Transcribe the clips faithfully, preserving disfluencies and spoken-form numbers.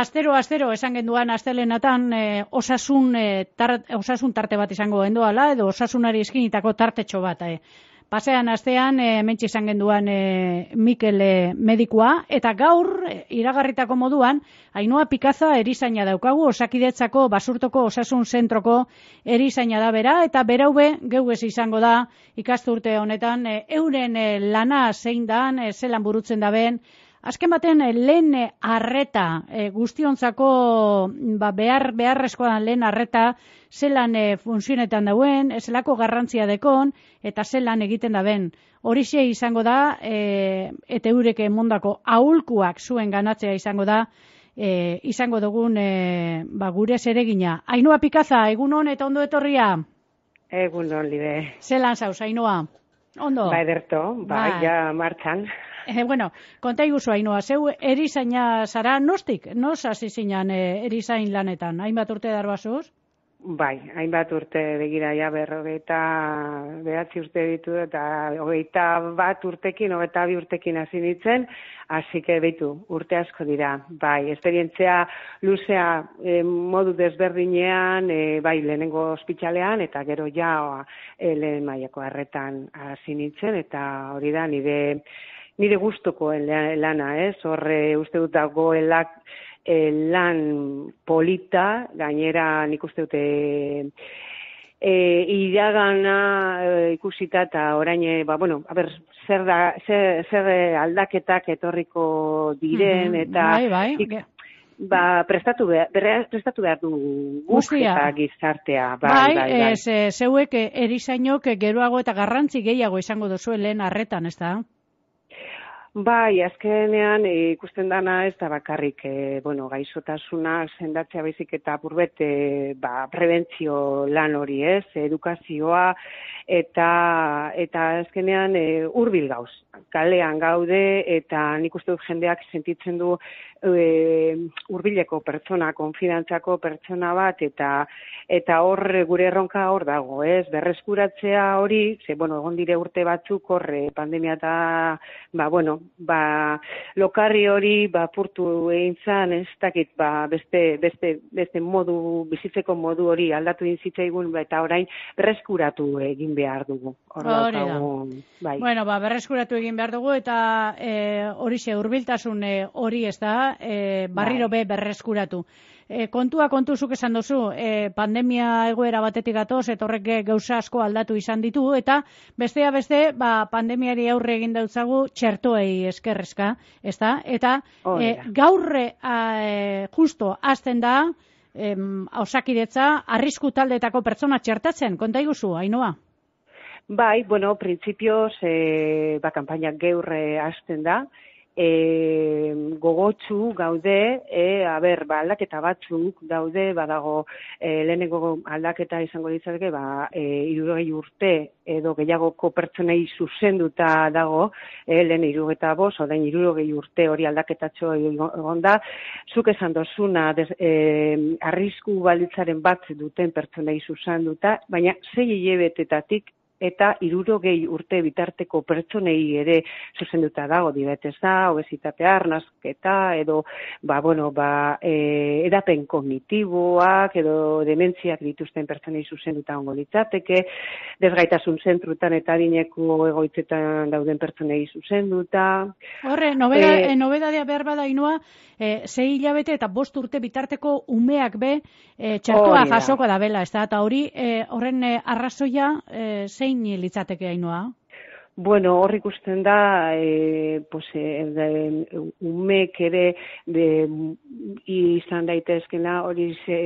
astero, astero, esan genduan astelenatan e, osasun, e, tar, osasun tarte bat izango genduala, edo osasunari eskinitako tartetxo bat. E. Pasean astean, e, mentxe izan genduan e, Mikel e, medikua, eta gaur, e, iragarritako moduan, Ainhoa Pikaza erizaina daukagu, Osakidetzako Basurtoko Osasun Zentroko erizaina da bera, eta beraube geuez izango da ikasturte honetan, e, euren e, lana zein dan, e, zelan burutzen da ben, azken baten e, lehen arreta, e, guztiontzako ba, behar, beharrezkoa lehen arreta, zelan e, funtzionetan dauen, zelako garrantzia dekon, eta zelan egiten da ben. Horixe izango da, e, eta eureke mondako aholkuak zuen ganatzea izango da, e, izango dugun e, ba, gure zeregina. Ainhoa Pikaza, egun hon eta ondo etorria? Egun hon, Libe. Zelan zauz, Ainhoa? Ondo? Ba, ederto, ba, ba. ja martxan. Eh, bueno, konta iguzu, Ainhoa, zeu erizaina zara, nostik? Nos hasi zinan e, erizain lanetan? Hainbat urte darbazuz? Bai, hainbat urte begira ja berrogeita behatzi urte ditu eta hogeita bat urtekin, hogeita bi urtekin hasi nintzen, hasi que beitu, urte asko dira. Bai, esperientzia luzea e, modu desberdinean, e, bai, lehenengo ospitalean eta gero ja e, lehen mailako arretan hasi nintzen, eta hori da nire nire gustuko lana, ez? Horre uste dut dagoelak E, lan polita, gainera nik uste dute e, iragana e, ikusita eta orain, e, ba, bueno, a ber, zer, da, zer, zer aldaketak etorriko diren, mm-hmm. eta bai, bai. ik, ba, prestatu behar, prestatu behar du guk eta gizartea. Bai, bai, bai, bai. Ez, e, zeuek erizainok geroago eta garrantzi gehiago izango duzuen lehen arretan, ez da? Bai, azkenean e, ikusten dana ez da bakarrik e, bueno, gaixotasuna sendatzea baizik eta apurbet e, ba, prebentzio lan hori, ez, edukazioa eta eta azkenean e, hurbil gauz. Kalean gaude eta nik uste dut jendeak sentitzen du e, hurbileko pertsona, konfidantzako pertsona bat eta eta hor gure erronka hor dago, ez, berreskuratzea hori, ze bueno, egon dire urte batzuk horre pandemia eta ba bueno, ba, lokarri hori ba, purtu egin zan, ez dakit, ba, beste, beste, beste modu, bizitzeko modu hori aldatu egin zitzaigun, ba, eta orain berreskuratu egin behar dugu. Hori da. Bai. Bueno, ba, berreskuratu egin behar dugu, eta horixe, e, hurbiltasun hori ez da, e, barriro be berreskuratu. E, kontua kontuzuk esan duzu, e, pandemia egoera batetik gatoz, eta horrek gauza asko aldatu izan ditu, eta bestea beste, ba, pandemiari aurre egin dautzagu txertoei eskerrezka, ez da? Eta e, gaurre e, justo hasten da, e, Osakidetza, arrisku taldeetako pertsona txertatzen, konta iguzu, Ainhoa? Bai, bueno, printzipioz, e, ba, kampainak geurre hasten da, E, gogotsu gaude, e, a ber, ba, aldaketa batzuk daude, badago e, lehenengo aldaketa izango ditzake, ba, e, hirurogei urte edo gehiagoko pertsonei zuzenduta dago, e, lehen hirurogeita bost, orain hirurogei urte hori aldaketatxo egon da, zuk esan dozuna, des, e, arrisku balitzaren bat duten pertsonei zuzenduta, baina sei hilabetetatik eta hirurogei urte bitarteko pertsonei ere zuzenduta dago, diabetesa, obesitatea, arnasketa, edo, ba, bueno, ba, e, edapen kognitiboak, edo dementziak dituzten pertsonei zuzenduta ongo litzateke, desgaitasun zentrutan eta adineko egoitzetan dauden pertsonei zuzenduta. Horre, nobeda, e, nobedadea behar bada, Ainhoa, e, sei hilabete eta bost urte bitarteko umeak be, e, txertoa jasoko da bela, ez da, eta hori, e, horren e, arrazoia, e, zein litzateke, Ainhoa? Bueno, hor ikusten da, e, pues, e, umek ere de, izan daitezkena hori ze,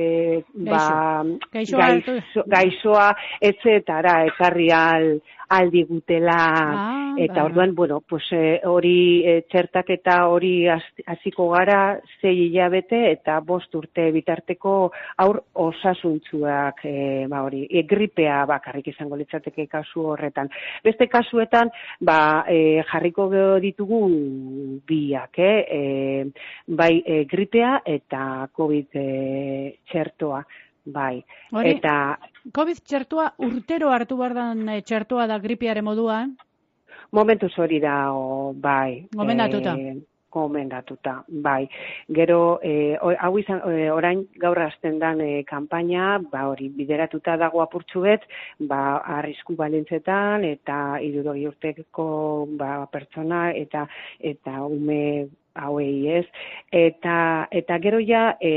ba, gaixoa, gaixo, gaixoa etzetara ekarri al, aldigutela, ah, eta orduan, bueno, pues, e, hori e, txertaketa hori hasiko gara sei hilabete eta bost urte bitarteko aur osasuntzuak, e, ba hori, e, gripea bakarrik izango litzateke kasu horretan. Beste kasuetan, ba, e, jarriko ditugu biak, eh? E, bai e, gripea eta COVID e, txertoa. Bai. Hori, eta COVID txertoa urtero hartu behar den txertoa da gripearen moduan? Momentuz hori da, o, bai. Gomendatuta. E, komendatuta, bai. Gero, e, hau izan, e, orain gaur hasten dan e, kanpaina, ba hori, bideratuta dago apurtxu bet, ba, arrisku balintzetan, eta hirurogei urteko ba, pertsona, eta eta ume hauei ez. Eta, eta gero ja, e,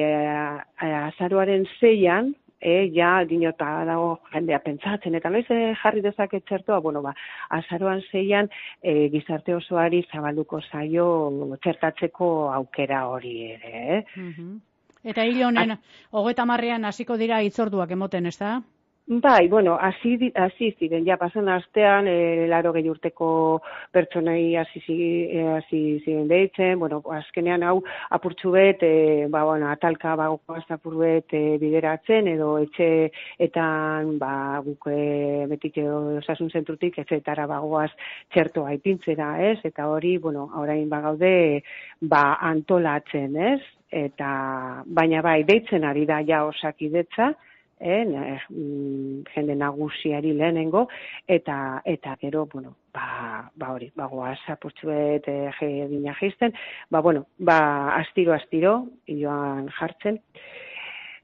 azaroaren zeian, E, ja, dinota dago jendea pentsatzen, eta noiz jarri dezaket txertoa, bueno, ba, azaroan zeian e, gizarte osoari zabalduko zaio txertatzeko aukera hori ere, eh? Uh-huh. Eta hil honen, hogeita marrean hasiko dira hitzorduak emoten, ez da? Bai, bueno, hasi hasi ziren, ja, pasan astean, e, laro gehi urteko pertsonai hasi hasi ziren deitzen, bueno, azkenean hau apurtxu bet, e, ba, bueno, atalka bagoaz apur bet e, bideratzen, edo etxeetan, ba, guk e, betik edo osasun zentrutik, etxeetara bagoaz txertoa ipintzera, ez? Eta hori, bueno, orain bagaude, ba, antolatzen, ez? Eta, baina bai, deitzen ari da ja Osakidetza, Eh, jende nagusiari lehenengo, eta eta gero, bueno, ba, ba hori, bagoaz apurtzuet e, egina geizten, ba, bueno, ba, astiro, astiro, joan jartzen.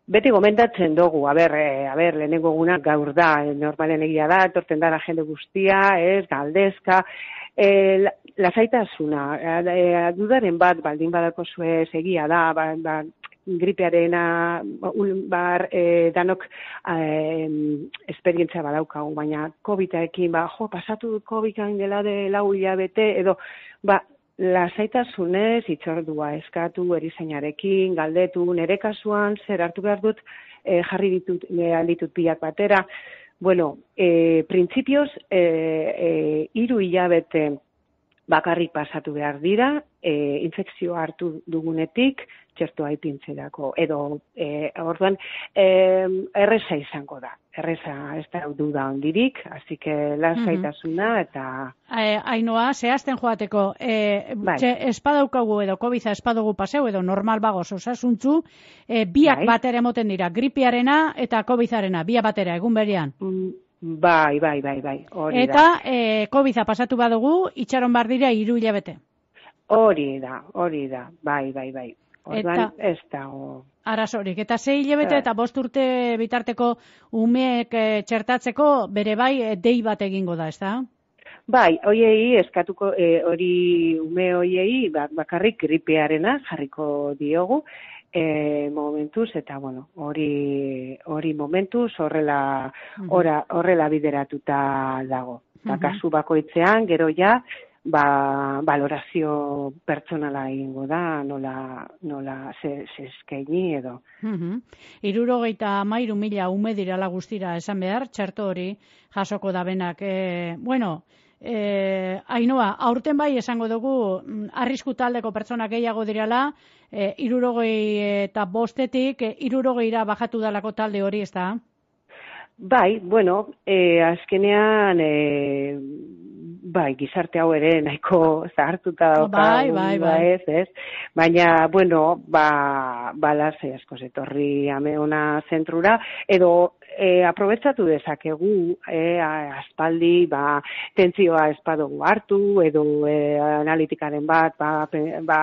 Beti gomendatzen dugu, a ber, e, a ber, lehenengo eguna gaur da, normalen egia da, etorten dara jende guztia, ez, galdezka, e, lasaitasuna, e, dudaren bat, baldin badako zuez egia da, ba, ba, gripearena bar e, danok e, esperientzia badaukagu, baina COVID-ekin, ba, jo, pasatu COVID-an dela de lau hilabete, edo, ba, lasaitasunez, itxordua eskatu, erizainarekin, galdetu, nere kasuan, zer hartu behar dut, e, jarri ditut, e, alditut pilak batera. Bueno, e, printzipioz, e, e, iru hilabete bakarrik pasatu behar dira, e, infekzioa hartu dugunetik, txertoa ipintzerako, edo, e, orduan, e, erreza izango da, erreza ez da duda ondirik, así que lasaitasuna eta... E, Ainoa, zehazten joateko, e, bai. espadaukagu edo COVID-a espadugu paseu, edo normal bagoz osasuntzu, e, biak bai. Batera emoten dira, gripiarena eta COVID-arena, biak batera, egun berean. Mm. Bai, bai, bai, bai, hori eta, da. Eta e, COVID-a pasatu badugu, itxaron bar dira hiru hilabete. Hori da, hori da, bai, bai, bai. Orduan, ez dago. Arazorik, eta sei hilabete eta bost urte bitarteko umeek e, txertatzeko bere bai e, dei bat egingo da, ez da? Bai, hoiei eskatuko, e, hori ume hoiei bakarrik gripearena jarriko diogu, E, momentuz, eta bueno, hori hori momentuz horrela ora, horrela bideratuta dago. Eta kasu bakoitzean, gero ja, ba, valorazio pertsonala egingo da, nola, nola ze, ze eskaini edo. Uh-huh. Hirurogeita hamairu mila ume dirala guztira esan behar, txerto hori jasoko da benak. E, bueno, E, Ainoa, aurten bai esango dugu arrisku taldeko pertsona gehiago direla, e, irurogei eta bostetik e, irurogeira bajatu dalako talde hori, ez da? Bai, bueno, e, azkenean e, bai, gizarte hau ere nahiko zahartuta dauka, bai, bai, bai. Ez, ez? Baina, bueno, ba, balaz asko etorri ameona zentrura, edo e, aprobetsatu dezakegu, e, aspaldi, ba, tentzioa espadugu hartu, edo e, analitikaren bat, ba, ba,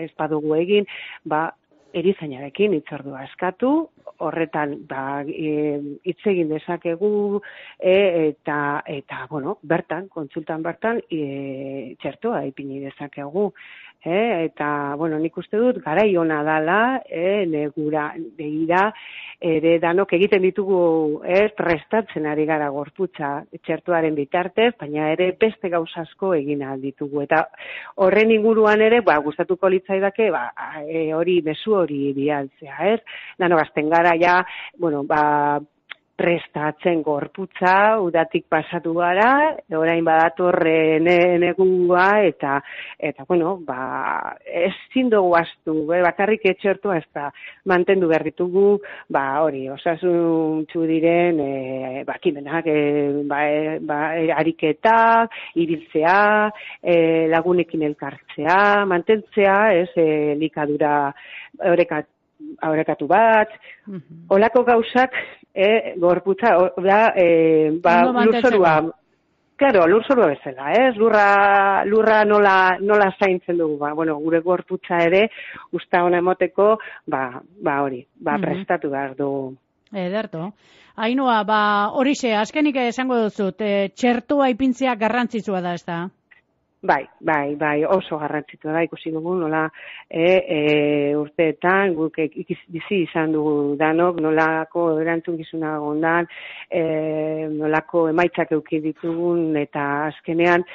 espadugu egin, ba, erizainarekin hitzordua eskatu, horretan ba hitz e, egin dezakegu e, eta eta bueno, bertan kontsultan bertan e, txertoa ipini dezakegu. E, eta bueno, nik uste dut garai ona dala, eh negura begira ere danok egiten ditugu, ez, prestatzen ari gara gorputza txertoaren bitartez, baina ere beste gauza asko egin ahal ditugu eta horren inguruan ere ba gustatuko litzaidake ba e, hori mezu hori bialtzea, ez? Danok hasten gara ja, bueno, ba prestatzen gorputza, udatik pasatu gara, orain badatorre negua, eta, eta bueno, ba, ezin dugu astu, eh, bakarrik etxertua ez da, mantendu behar ditugu, ba, hori, osasuntsu diren, e, ba, kimenak, e, ba, e, ba, e, ariketak, ibiltzea, e, lagunekin elkartzea, mantentzea, ez, e, likadura orekat, aurekatu bat, olako gauzak, e, gorputza, da, e, ba, lurzorua, Claro, lur zorua bezala, ez? Lurra, lurra nola, nola zaintzen dugu, ba, bueno, gure gorputza ere, usta hona emoteko, ba, ba hori, ba, mm-hmm. prestatu behar dugu. Ederto. Ainhoa, ba, horixe, azkenik esango duzut, e, txertoa ipintzea garrantzitsua da, ez da? Bai, bai, bai, oso garrantzitsua da, ikusi dugu, nola e, e, urteetan, guk bizi izan dugu danok, nolako erantzukizuna gondan, e, nolako emaitzak eduki ditugun, eta azkenean,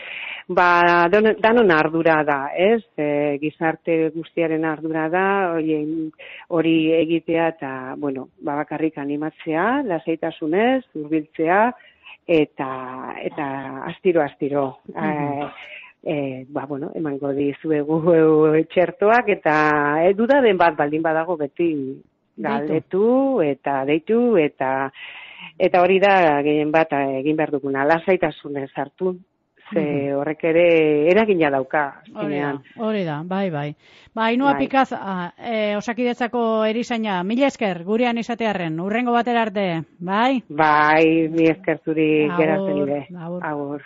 ba, danon ardura da, ez? E, gizarte guztiaren ardura da, hori, hori egitea, eta, bueno, ba, bakarrik animatzea, lasaitasunez, hurbiltzea, eta, eta astiro, astiro. Mm-hmm. E, ba, bueno, emango dizuegu txertoak eta e, dudaden bat baldin badago beti galdetu eta deitu eta eta hori da gehien bat egin behar duguna, lasaitasunez hartu, ze horrek ere eragina dauka. Hori da, hori da, bai, bai. Ba, Ainhoa bai. Pikaz, e, Osakidetzako erizaina, mila esker, gurean izatearren, urrengo batera arte, bai? Bai, mila esker zuri geratzen ire. Agur.